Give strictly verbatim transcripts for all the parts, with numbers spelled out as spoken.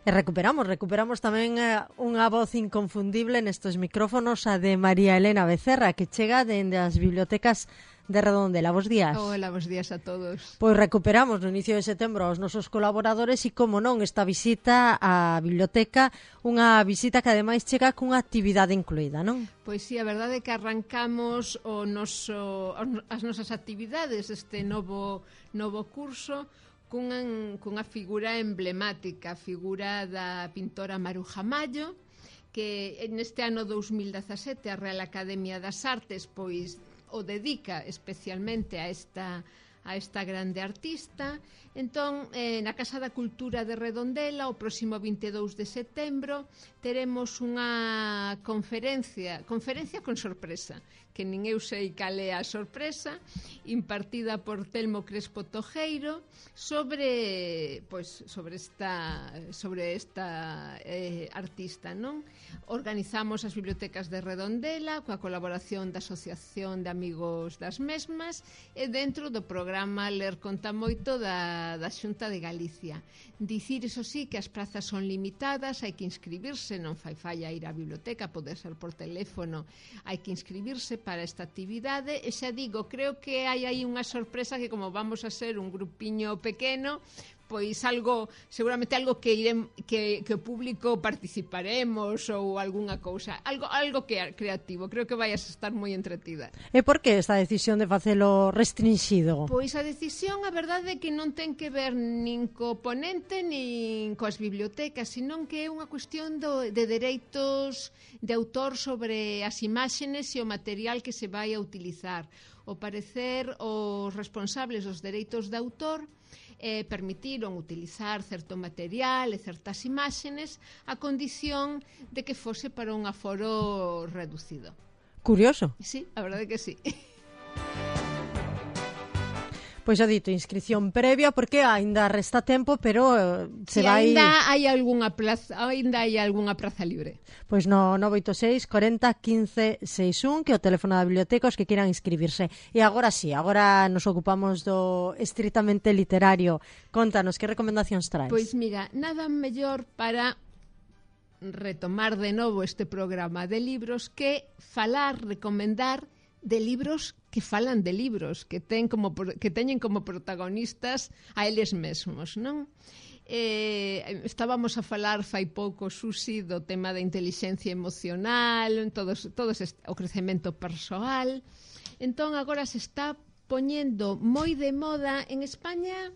E recuperamos, recuperamos tamén uh, unha voz inconfundible nestes micrófonos, a de María Elena Becerra, que chega dende as bibliotecas de Redondela. Bos días. Hola, bos días a todos. Pois recuperamos no inicio de setembro aos nosos colaboradores e, como non, esta visita á biblioteca, unha visita que ademais chega cunha actividade incluída, non? Pois sí, a verdade é que arrancamos o noso, as nosas actividades deste novo, novo curso cunha, cunha figura emblemática, a figura da pintora Maruja Mallo, que neste ano dous mil dezasete a Real Academia das Artes pois o dedica especialmente a esta a esta grande artista. Entón, eh, na Casa da Cultura de Redondela, o próximo vinte e dous de setembro, teremos unha conferencia, conferencia con sorpresa, que nin eu sei cal é a sorpresa, impartida por Telmo Crespo Tojeiro, sobre, pois, sobre esta, sobre esta eh, artista, non? Organizamos as bibliotecas de Redondela coa colaboración da Asociación de Amigos das Mesmas e dentro do programa Ler Conta Moito da, da Xunta de Galicia. Dicir, iso sí, que as prazas son limitadas, hai que inscribirse, non fai falla ir á biblioteca, pode ser por teléfono, hai que inscribirse para esta actividade, e xa digo, creo que hai aí unha sorpresa que, como vamos a ser un grupiño pequeno, pois algo, seguramente algo que irem, que, que o público participaremos ou algunha cousa, algo, algo que creativo, creo que vai a estar moi entretida. E por que esta decisión de facelo restringido? Pois a decisión, a verdade é que non ten que ver nin co ponente nin coas bibliotecas, senón que é unha cuestión do, de dereitos de autor sobre as imaxenes e o material que se vai a utilizar. O parecer, os responsables dos dereitos de autor eh, permitiron utilizar certo material e certas imágenes a condición de que fose para un aforo reducido. Curioso. Sí, a verdade que sí. Pois xa dito, inscripción previa, porque aínda resta tempo, pero uh, se sí, vai... Aínda hai algunha plaza, aínda hai algunha praza libre. Pois no nove oito seis, corenta, quince, sesenta e un, que é o teléfono da biblioteca, os que quieran inscribirse. E agora sí, agora nos ocupamos do estritamente literario. Contanos, que recomendacións traes? Pois mira, nada mellor para retomar de novo este programa de libros que falar, recomendar de libros que falan de libros, que ten como que teñen como protagonistas a eles mesmos, non? Eh, estábamos a falar fai pouco, Susi, do tema da intelixencia emocional, todos, todos este, o crecemento persoal. Entón agora se está poñendo moi de moda en España.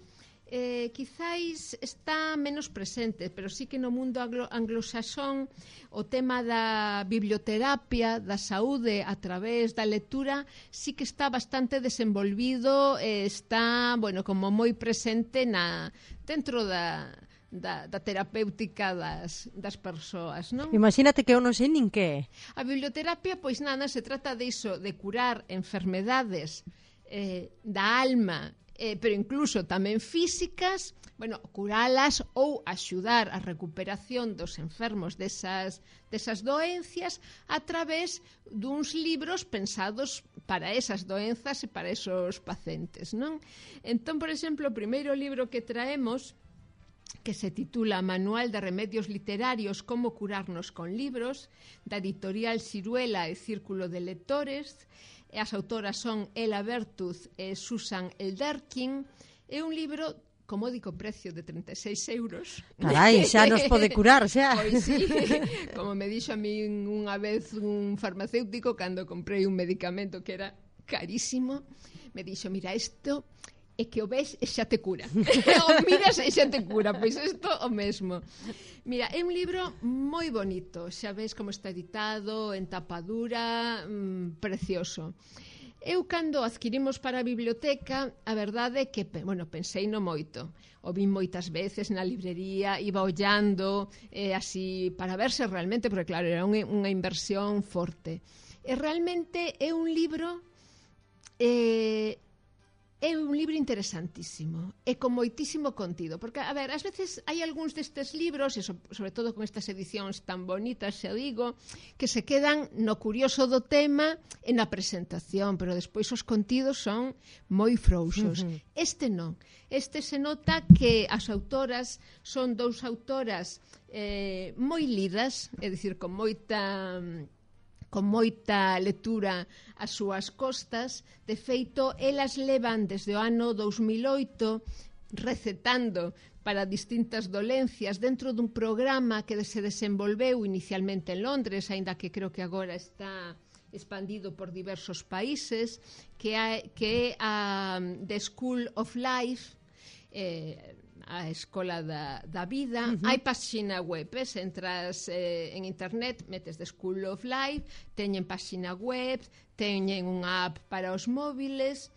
Eh, quizáis está menos presente, pero sí que no mundo anglo anglosaxón o tema da biblioterapia, da saúde a través da lectura, sí que está bastante desenvolvido, eh, está, bueno, como moi presente na dentro da Da, da terapéutica das, das persoas, non? Imagínate que eu non sei nin que é. A biblioterapia, pois nada, se trata de iso, de curar enfermedades eh, da alma, Eh, pero incluso tamén físicas, bueno, curalas ou axudar a recuperación dos enfermos desas, desas doencias a través duns libros pensados para esas doenzas e para esos pacientes, non? Entón, por exemplo, o primeiro libro que traemos, que se titula Manual de Remedios Literarios, como curarnos con libros, da editorial Siruela e Círculo de Lectores. As autoras son Ela Bertuz e Susan Elderkin. É un libro con módico precio de treinta e seis euros. Carai, xa nos pode curar, xa. Pois sí, como me dixo a mí unha vez un farmacéutico cando comprei un medicamento que era carísimo, me dixo, mira, isto é que o ves e xa te cura. O miras e xa te cura, pois isto o mesmo. Mira, é un libro moi bonito, xa ves como está editado, en tapa dura, mmm, precioso. Eu, cando adquirimos para a biblioteca, a verdade é que, bueno, pensei no moito. O vi moitas veces na librería, iba ollando, eh, así, para verse realmente, porque claro, era unha, unha inversión forte. E realmente é un libro... Eh, É un libro interesantísimo e con moitísimo contido, porque, a ver, ás veces hai algúns destes libros, e so, sobre todo con estas edicións tan bonitas, xa digo, que se quedan no curioso do tema e na presentación, pero despois os contidos son moi frouxos. Uh-huh. Este non. Este se nota que as autoras son dous autoras eh, moi lidas, é dicir, con moita... con moita lectura ás súas costas. De feito, elas levan desde o ano dous mil oito recetando para distintas dolencias dentro dun programa que se desenvolveu inicialmente en Londres, aínda que creo que agora está expandido por diversos países, que é, que é a The School of Life, eh, a Escola da, da Vida. Uh-huh. Hai páxina web, eh? Se entras eh, en internet, metes The School of Life, teñen páxina web, teñen unha app para os móviles.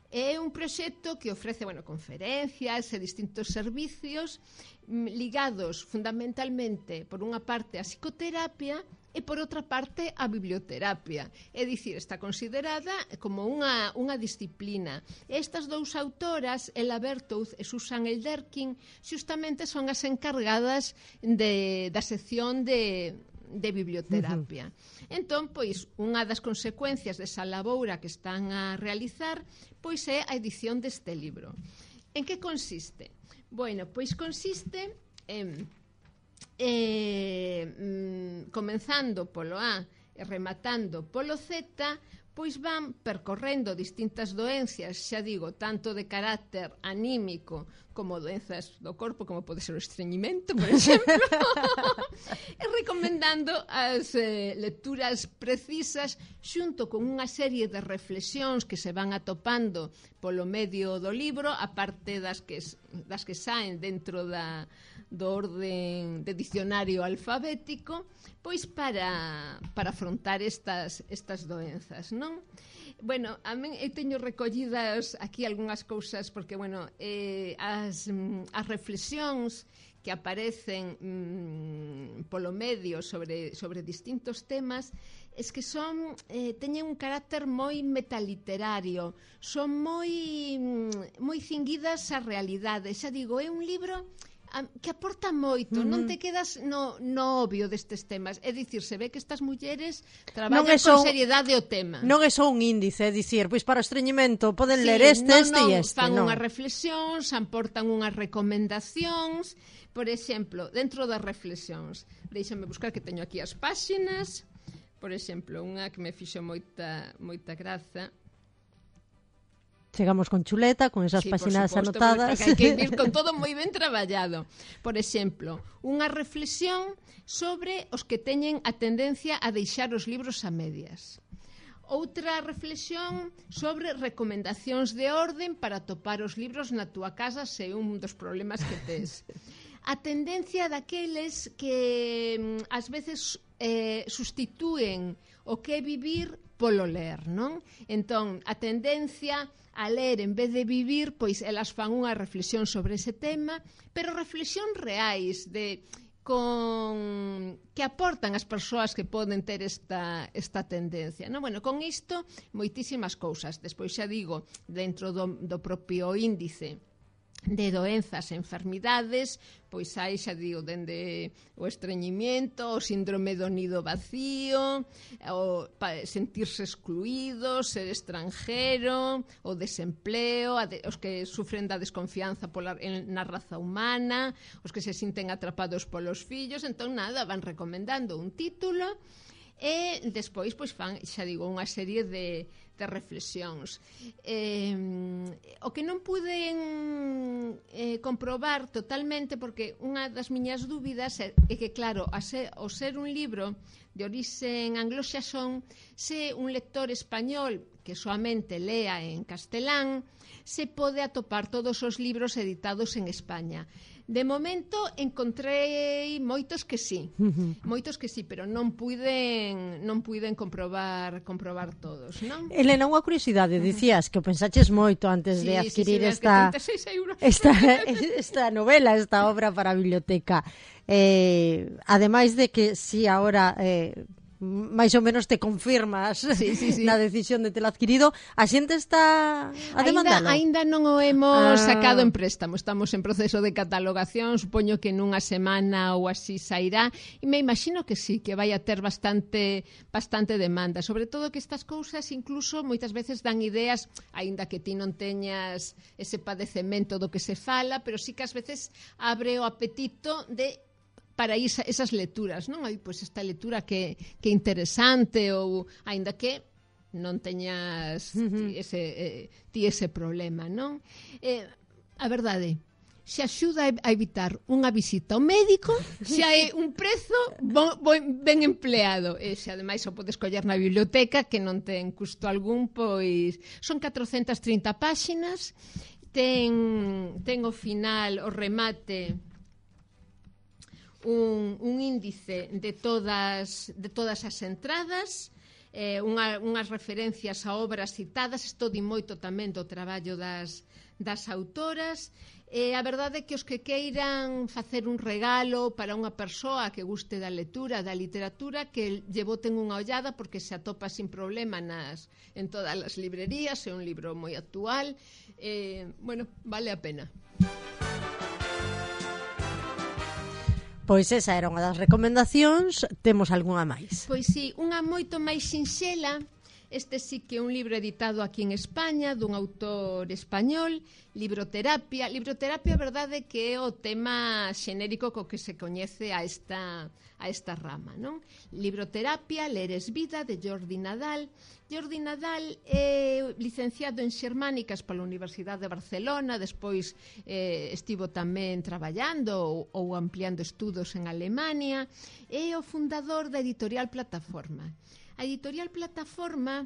É un proxecto que ofrece, bueno, conferencias e distintos servicios ligados fundamentalmente, por unha parte, a psicoterapia e, por outra parte, a biblioterapia. É dicir, está considerada como unha, unha disciplina. Estas dous autoras, Ella Berthoud e Susan Elderkin, justamente son as encargadas de, da sección de... de biblioterapia. Uh-huh. Entón, pois, unha das consecuencias desa laboura que están a realizar, pois é a edición deste libro. En que consiste? Bueno, pois consiste en eh, mm, comenzando polo A e rematando polo Z, pois van percorrendo distintas doencias, xa digo, tanto de carácter anímico como doenzas do corpo, como pode ser o estreñimento, por exemplo, e recomendando as eh, lecturas precisas xunto con unha serie de reflexións que se van atopando polo medio do libro, aparte das que, das que saen dentro da, do orden de dicionario alfabético, pois para, para afrontar estas, estas doenzas, non? Bueno, a min eu teño recollidas aquí algunhas cousas, porque, bueno, eh, as, as reflexións que aparecen mm, polo medio sobre, sobre distintos temas es que son, eh, teñen un carácter moi metaliterario, son moi, moi cinguidas á realidade. Xa digo, é un libro que aporta moito, uh-huh. Non te quedas no, no obvio destes temas. É dicir, se ve que estas mulleres traballan con seriedade o tema. Non é só un índice, é dicir, pois para o estreñimento poden sí, ler este, este non, e este. Fan non. unhas reflexións, aportan unhas recomendacións. Por exemplo, dentro das reflexións, deixame buscar que teño aquí as páxinas. Por exemplo, unha que me fixo moita, moita graza. Chegamos con chuleta, con esas sí, páxinas suposto, anotadas. Hai que ir con todo moi ben traballado. Por exemplo, unha reflexión sobre os que teñen a tendencia a deixar os libros a medias. Outra reflexión sobre recomendacións de orden para topar os libros na túa casa se é un dos problemas que tes. A tendencia daqueles que ás veces eh, sustitúen o que é vivir polo ler, non? Entón, a tendencia a ler en vez de vivir, pois elas fan unha reflexión sobre ese tema, pero reflexións reais de con que aportan as persoas que poden ter esta, esta tendencia, non? Bueno, con isto, moitísimas cousas. Despois xa digo, dentro do, do propio índice de doenzas e enfermidades, pois hai, xa digo, dende o estreñimiento, o síndrome do nido vacío, o sentirse excluído, ser estranjero, o desempleo, de, os que sufren da desconfianza pola, en, na raza humana, os que se sinten atrapados polos fillos. Entón, nada, van recomendando un título e despois, pois, fan, xa digo, unha serie de de reflexións. Eh, o que non puden eh, comprobar totalmente, porque unha das miñas dúbidas é, é que, claro, a ser, ao ser un libro de orixen anglosaxón, se un lector español que soamente lea en castelán, se pode atopar todos os libros editados en España. De momento encontrei moitos que sí, uh-huh. moitos que sí, pero non puiden non puiden comprobar comprobar todos, non? Elena, unha curiosidade, dicías que o pensaches moito antes sí, de adquirir sí, sí, esta, esta esta novela, esta obra para a biblioteca. Eh, ademais de que si sí, ahora eh, máis ou menos te confirmas sí, sí, sí. na decisión de telo adquirido. A xente está a demandalo? Ainda, ainda non o hemos ah. sacado en préstamo. Estamos en proceso de catalogación. Supoño que nunha semana ou así sairá. E me imagino que sí, que vai a ter bastante, bastante demanda. Sobre todo que estas cousas incluso moitas veces dan ideas, aínda que ti non teñas ese padecemento do que se fala, pero sí que ás veces abre o apetito de para esa, esas lecturas, non? Ai, pois esta lectura que, que interesante, ou aínda que non teñas ti ese, eh, ti ese problema, non? Eh, a verdade, se axuda a evitar unha visita ao médico, xa é un prezo bo, bo, ben empleado. E se ademais o podes coller na biblioteca, que non ten custo algún, pois son catrocentas e trinta páxinas, ten, ten o final, o remate, un, un índice de todas, de todas as entradas, eh, unha, unhas referencias a obras citadas. Isto di moito tamén do traballo das, das autoras. E a verdade é que os que queiran facer un regalo para unha persoa que guste da lectura, da literatura, que lle boten unha ollada, porque se atopa sin problema nas, en todas as librerías. É un libro moi actual. Eh, bueno, vale a pena. Pois esa era unha das recomendacións. Temos algunha máis? Pois sí, unha moito máis sinxela. Este sí que é un libro editado aquí en España, dun autor español, Libroterapia. Libroterapia, a verdade, que é o tema xenérico co que se coñece a esta, a esta rama, non? Libroterapia, Leres vida, de Jordi Nadal. Jordi Nadal é licenciado en Xermánicas pola Universidade de Barcelona, despois eh, estivo tamén traballando ou, ou ampliando estudos en Alemania. É o fundador da editorial Plataforma. A editorial Plataforma,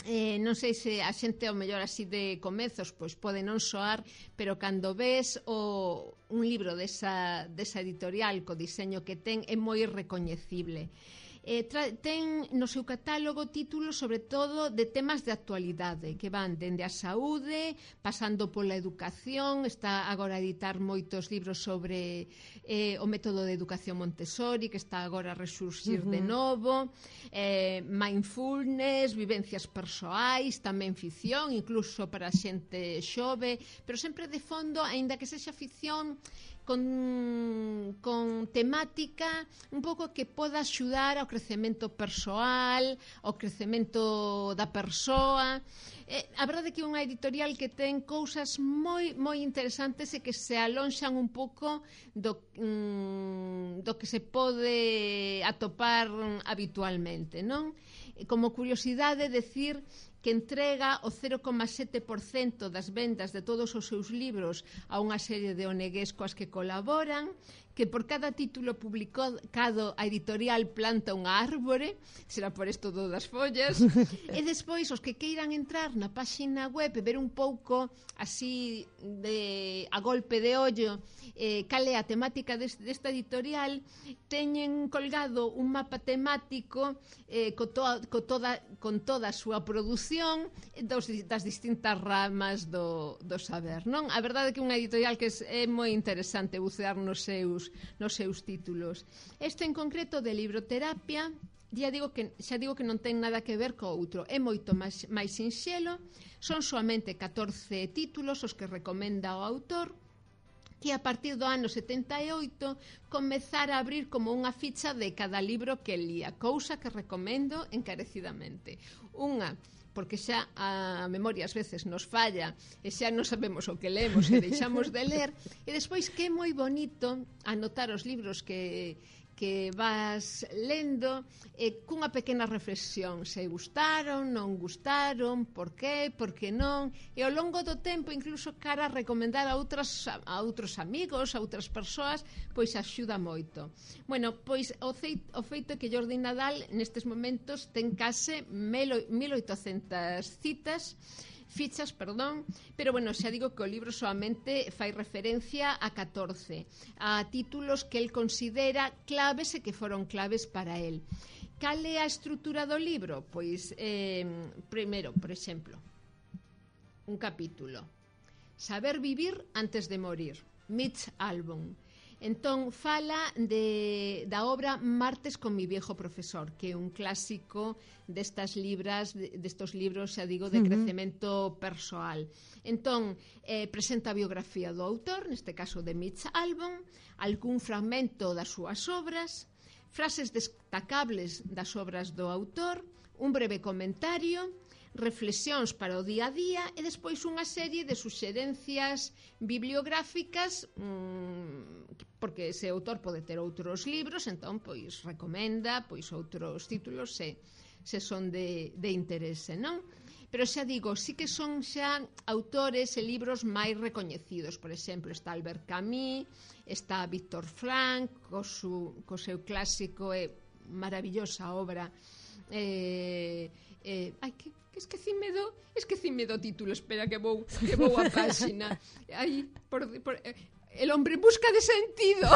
eh, non sei se a xente ao mellor así de comezos pois pode non soar, pero cando ves o, un libro desa, desa editorial co diseño que ten, é moi recoñecible. Eh, tra, ten no seu catálogo títulos sobre todo de temas de actualidade que van dende a saúde, pasando pola educación. Está agora a editar moitos libros sobre eh, o método de educación Montessori, que está agora a resurxir uh-huh. de novo, eh, mindfulness, vivencias persoais, tamén ficción, incluso para xente xove, pero sempre de fondo, aínda que sexa ficción, Con, con temática un pouco que poda axudar ao crecemento persoal, ao crecemento da persoa. Eh, a verdade é que é unha editorial que ten cousas moi moi interesantes e que se alonxan un pouco do, mm, do que se pode atopar habitualmente, non? Como curiosidade, decir que entrega o cero coma sete por cento das vendas de todos os seus libros a unha serie de O N Gs coas que colaboran, que por cada título publicado a editorial planta unha árbore, será por isto do das follas, e despois os que queiran entrar na páxina web e ver un pouco así de, a golpe de ollo eh, cal é a temática deste, desta editorial, teñen colgado un mapa temático eh, co to, co toda, con toda a súa produción dos, das distintas ramas do, do saber, non? A verdade é que é unha editorial que é, é moi interesante bucear nos seus nos seus títulos. Este en concreto de Libroterapia, xa digo que, xa digo que non ten nada que ver co outro, é moito máis, máis sinxelo, son soamente catorce títulos os que recomenda o autor, que a partir do ano setenta e oito comezar a abrir como unha ficha de cada libro que lía, cousa que recomendo encarecidamente. Unha, porque xa a memoria ás veces nos falla e xa non sabemos o que leemos e deixamos de ler, e despois que é moi bonito anotar os libros que, que vas lendo eh, cunha pequena reflexión, se gustaron, non gustaron, por qué, por que non, e ao longo do tempo incluso cara a recomendar a outras a outros amigos, a outras persoas, pois axuda moito. Bueno, pois o, ceit, o feito é que Jordi Nadal nestes momentos ten case mil oitocentas citas fichas, perdón, pero bueno, xa digo que o libro solamente fai referencia a catorce, a títulos que el considera claves e que foron claves para el. Cal é a estrutura do libro? Pois, eh, primeiro, por exemplo, un capítulo, Saber vivir antes de morir, Mitch Albom. Entón, fala de, da obra Martes con mi viejo profesor, que é un clásico destas libras, destos libros, xa digo, de crecemento persoal. Entón, eh, presenta a biografía do autor, neste caso de Mitch Albom, algún fragmento das súas obras, frases destacables das obras do autor, un breve comentario, reflexións para o día a día e despois unha serie de suxerencias bibliográficas, mmm, porque ese autor pode ter outros libros, entón pois recomenda pois outros títulos se, se son de, de interese, non? Pero xa digo, sí que son xa autores e libros máis recoñecidos. Por exemplo, está Albert Camus, está Víctor Frank co, su, co seu clásico e maravillosa obra eh, eh, ai, que esquecime do, esquecime do título, espera que vou, que vou a páxina. Ai, por, por, El hombre busca de sentido.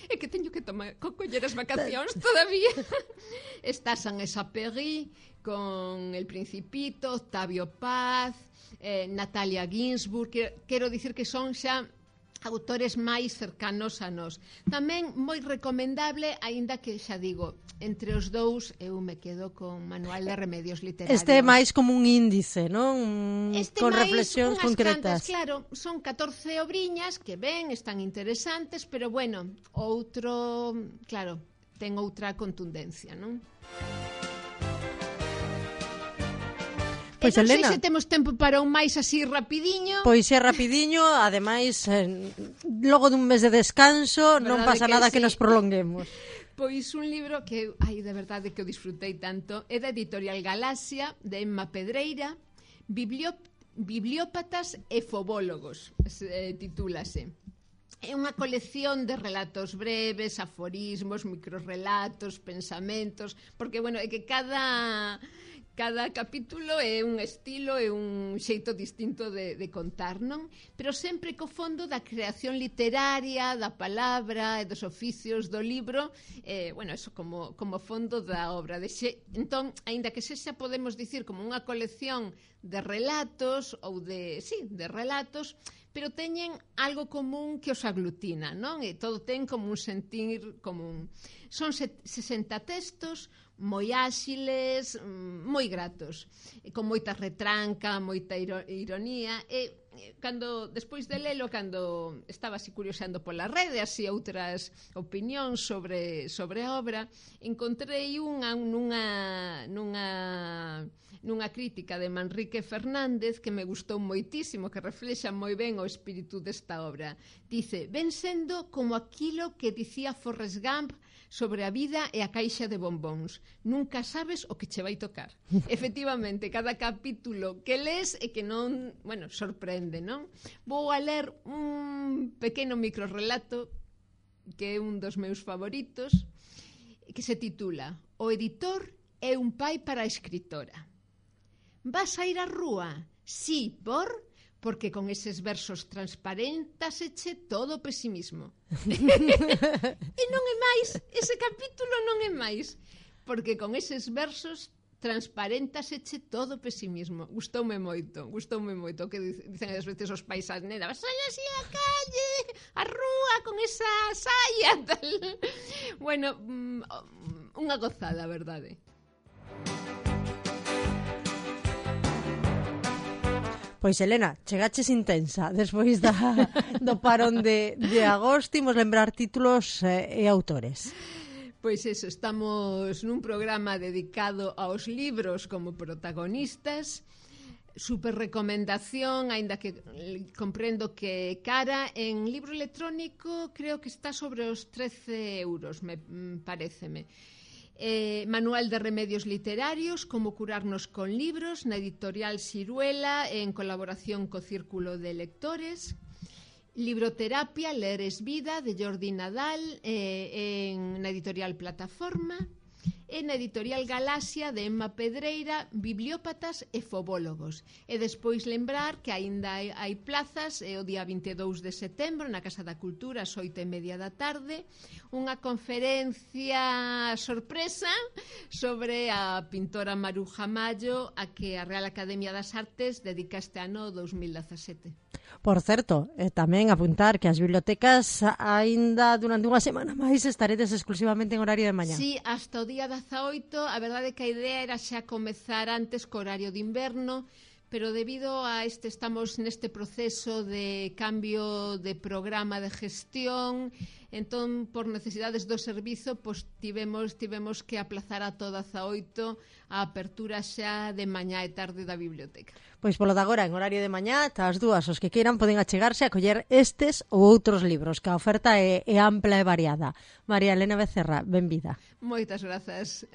É que teño que tomar, coller as vacacións todavía. Está Saint-Exupéry con El Principito, Octavio Paz, eh, Natalia Ginsburg, que, quero dicir que son xa autores máis cercanos a nós. Tamén moi recomendable, aínda que xa digo, entre os dous eu me quedo con Manual de Remedios Literarios. Este é máis como un índice, non? Este con máis reflexións unhas concretas. Cantas, claro, son catorce obriñas que ven, están interesantes, pero bueno, outro, claro, ten outra contundencia, non? Pois, non Elena, sei se temos tempo para un máis así rapidiño. Pois é rapidiño, ademais eh, logo dun mes de descanso non pasa que nada sí? que nos prolonguemos. Pois un libro que, ai, de verdade que o disfrutei tanto, é da editorial Galaxia, de Emma Pedreira, Bibliop Bibliópatas e Fobólogos, eh, titúlase. É unha colección de relatos breves, aforismos, microrelatos, pensamentos, porque, bueno, é que cada... Cada capítulo é un estilo e un xeito distinto de, de contar, non? Pero sempre co fondo da creación literaria, da palabra e dos oficios do libro, eh, bueno, eso como, como fondo da obra. De xe... Entón, aínda que sexa, podemos dicir, como unha colección de relatos, ou de, sí, de relatos, pero teñen algo común que os aglutina, non? E todo ten como un sentir común. Son sesenta textos, moi áxiles, moi gratos, con moita retranca, moita ironía, e cando despois de lelo, cando estaba así curioseando pola rede, así outras opinións sobre sobre a obra, encontrei unha nunha nunha nunha crítica de Manrique Fernández que me gustou moitísimo, que reflexa moi ben o espírito desta obra. Dice: "Ven sendo como aquilo que dicía Forrest Gump sobre a vida e a caixa de bombóns. Nunca sabes o que che vai tocar." Efectivamente, cada capítulo que lees é que non, bueno, sorprende, non? Vou a ler un pequeno microrelato que é un dos meus favoritos, que se titula "O editor é un pai para a escritora". Vas a ir á rúa? Sí, por... porque con eses versos transparentáseche todo o pesimismo. E non é máis, ese capítulo non é máis, porque con eses versos transparentáseche todo o pesimismo. Gustoume moito, gustoume moito, que dicen as veces os pais ás nenas: "Sai así á calle, á rúa, con esa saia", tal. Bueno, unha gozada, a verdade. Pois, Elena, chegaches intensa despois da, do parón de, de agosto. Imos lembrar títulos eh, e autores. Pois eso, estamos nun programa dedicado aos libros como protagonistas. Super recomendación, aínda que comprendo que cara, en libro electrónico creo que está sobre os trece euros, me pareceme. Eh, Manual de Remedios Literarios, como curarnos con libros, na editorial Siruela, en colaboración co Círculo de Lectores. Libroterapia, Leer es vida, de Jordi Nadal, eh, en, na editorial Plataforma. e na editorial Galaxia de Emma Pedreira, Bibliópatas e Fobólogos. E despois lembrar que aínda hai, hai plazas, e o día vinte e dous de setembro na Casa da Cultura ás oito e media da tarde, unha conferencia sorpresa sobre a pintora Maruja Mallo, a que a Real Academia das Artes dedica este ano dous mil dezasete. Por certo, eh, tamén apuntar que as bibliotecas aínda durante unha semana máis estaredes exclusivamente en horario de mañá. Sí, hasta o día dezaoito, a verdade é que a idea era xa comezar antes co horario de inverno, pero debido a este estamos neste proceso de cambio de programa de gestión, entón por necesidades do servizo, pois tivemos tivemos que aplazar a toda dezaoito a apertura xa de mañá e tarde da biblioteca. Pois polo de agora, en horario de mañá, tas dúas os que queiran poden achegarse a coller estes ou outros libros, que a oferta é, é ampla e variada. María Elena Becerra, benvida. Moitas grazas.